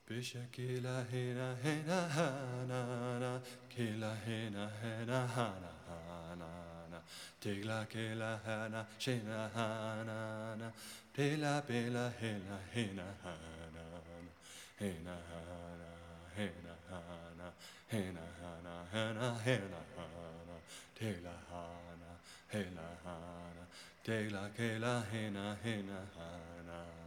Bisha kila hena hena hana na kila hena hena hana hana na Tigla kila hana shena hana na Pela pela hena hena hana na Hena hana hena hana hena hana hena hena hana Tigla hana hena hana Tigla kila hena hena hana